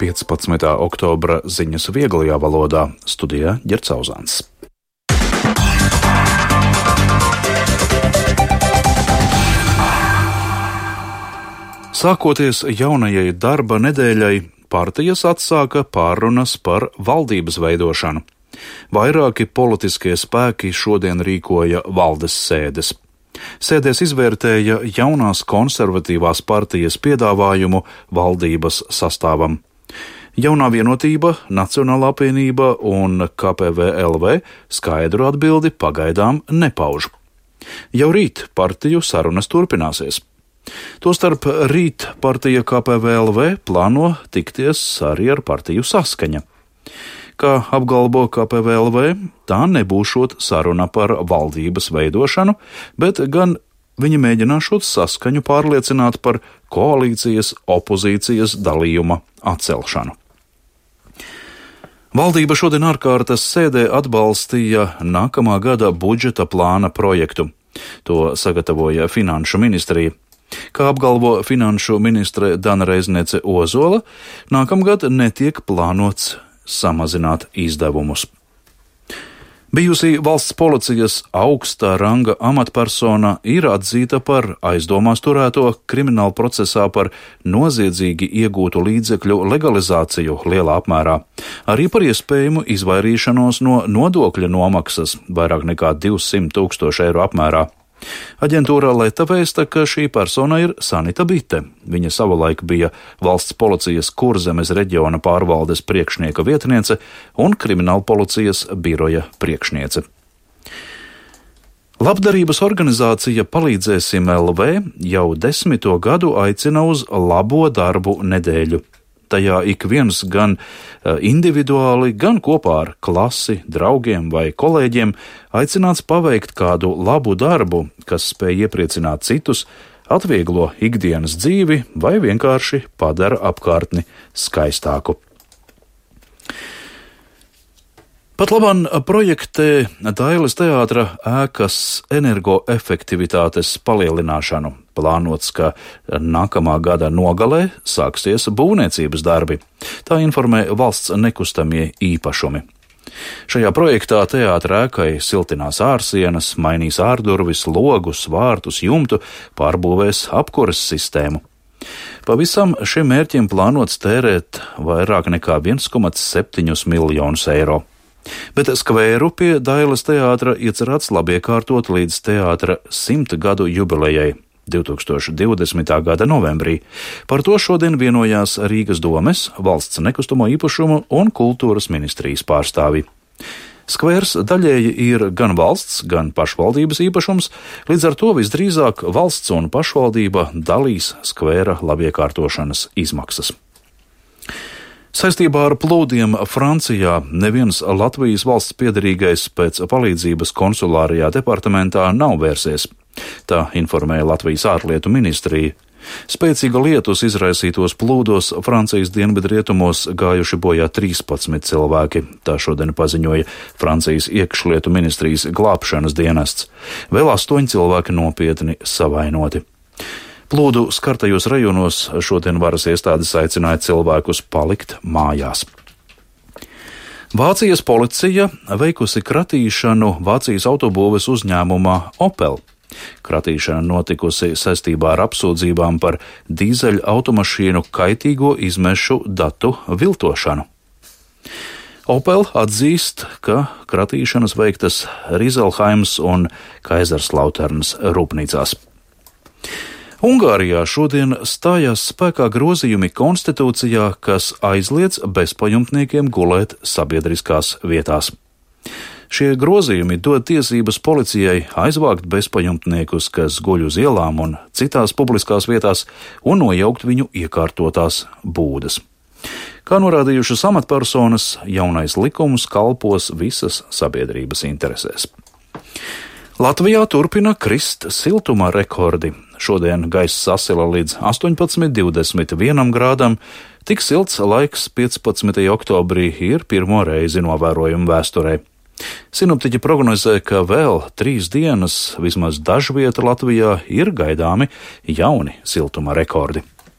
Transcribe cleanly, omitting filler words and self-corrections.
15. oktobra ziņas vieglajā valodā, studijā Ģerts Auzāns. Sākoties jaunajai darba nedēļai, partijas atsāka pārunas par valdības veidošanu. Vairāki politiskie spēki šodien rīkoja valdes sēdes. Sēdēs izvērtēja jaunās konservatīvās partijas piedāvājumu valdības sastāvam. Jaunā vienotība, Nacionālā apvienība un KPVLV skaidru atbildi pagaidām nepauž. Jau rīt partiju sarunas turpināsies. Tostarp rīt partija KPVLV plāno tikties arī ar partiju Saskaņa. Kā apgalvo KPVLV, tā nebūšot saruna par valdības veidošanu, bet gan viņi mēģināšot Saskaņu pārliecināt par koalīcijas opozīcijas dalījuma atcelšanu. Valdība šodien ārkārtas sēdē atbalstīja nākamā gada budžeta plāna projektu. To sagatavoja Finanšu ministrija. Kā apgalvo finanšu ministre Dana Reiznece Ozola, nākamgad netiek plānots samazināt izdevumus. Bijusī valsts policijas augstā ranga amatpersona ir atzīta par aizdomās turēto krimināla procesā par noziedzīgi iegūtu līdzekļu legalizāciju lielā apmērā, arī par iespējamu izvairīšanos no nodokļa nomaksas vairāk nekā 200 000 eiro apmērā. Aģentūra Leta vēsta, ka šī persona ir Sanita Bite. Viņa savulaik bija valsts policijas Kurzemes reģiona pārvaldes priekšnieka vietniece un krimināla policijas biroja priekšniece. Labdarības organizācija Palīdzēsim LV jau 10. gadu aicina uz labo darbu nedēļu. Tajā ik viens gan individuāli, gan kopā ar klasi, draugiem vai kolēģiem aicināts paveikt kādu labu darbu, kas spēj iepriecināt citus, atvieglo ikdienas dzīvi vai vienkārši padara apkārtni skaistāku. Pat labam projektē Dailes teātra ēkas energoefektivitātes palielināšanu. Plānots, ka nākamā gada nogalē sāksies būvniecības darbi. Tā informē valsts nekustamie īpašumi. Šajā projektā teātra ēkai siltinās ārsienas, mainīs ārdurvis, logus, vārtus, jumtu, pārbūvēs apkures sistēmu. Pavisam šiem mērķiem plānots tērēt vairāk nekā 1,7 miljonus eiro. Bet skvēru pie Dailes teātra iecerēts labiekārtot līdz teātra 100 gadu jubilejai 2020. gada novembrī. Par to šodien vienojās Rīgas domes, valsts nekustamo īpašumu un kultūras ministrijas pārstāvi. Skvērs daļēji ir gan valsts, gan pašvaldības īpašums, līdz ar to visdrīzāk valsts un pašvaldība dalīs skvēra labiekārtošanas izmaksas. Saistībā ar plūdiem Francijā neviens Latvijas valsts piederīgais pēc palīdzības konsulārajā departamentā nav vērsies. Tā informēja Latvijas ārlietu ministrija. Spēcīga lietus izraisītos plūdos Francijas dienvidrietumos gājuši bojā 13 cilvēki. Tā šodien paziņoja Francijas iekšlietu ministrijas glābšanas dienests. Vēl 8 cilvēki nopietni savainoti. Plūdu skartajos rajonos šodien varas iestādes aicināja cilvēkus palikt mājās. Vācijas policija veikusi kratīšanu Vācijas autobūves uzņēmumā Opel. Kratīšana notikusi saistībā ar apsūdzībām par dīzeļa automašīnu kaitīgo izmešu datu viltošanu. Opel atzīst, ka kratīšanas veiktas Rīzelhaimas un Kaiserslauternas rūpnīcās. Ungārijā šodien stājās spēkā grozījumi konstitūcijā, kas aizliedz bezpajumtniekiem gulēt sabiedriskās vietās. Šie grozījumi dod tiesības policijai aizvākt bezpajumtniekus, kas guļ uz ielām un citās publiskās vietās, un nojaukt viņu iekārtotās būdas. Kā norādījušas amatpersonas, jaunais likums kalpos visas sabiedrības interesēs. Latvijā turpina krist siltuma rekordi. Šodien gaiss sasila līdz 18,21 grādam. Tik silts laiks 15. oktobrī ir pirmo reizi novērojama vēsturē. Sinoptiķi prognozē, ka vēl 3 dienas vismaz dažvieta Latvijā ir gaidāmi jauni siltuma rekordi.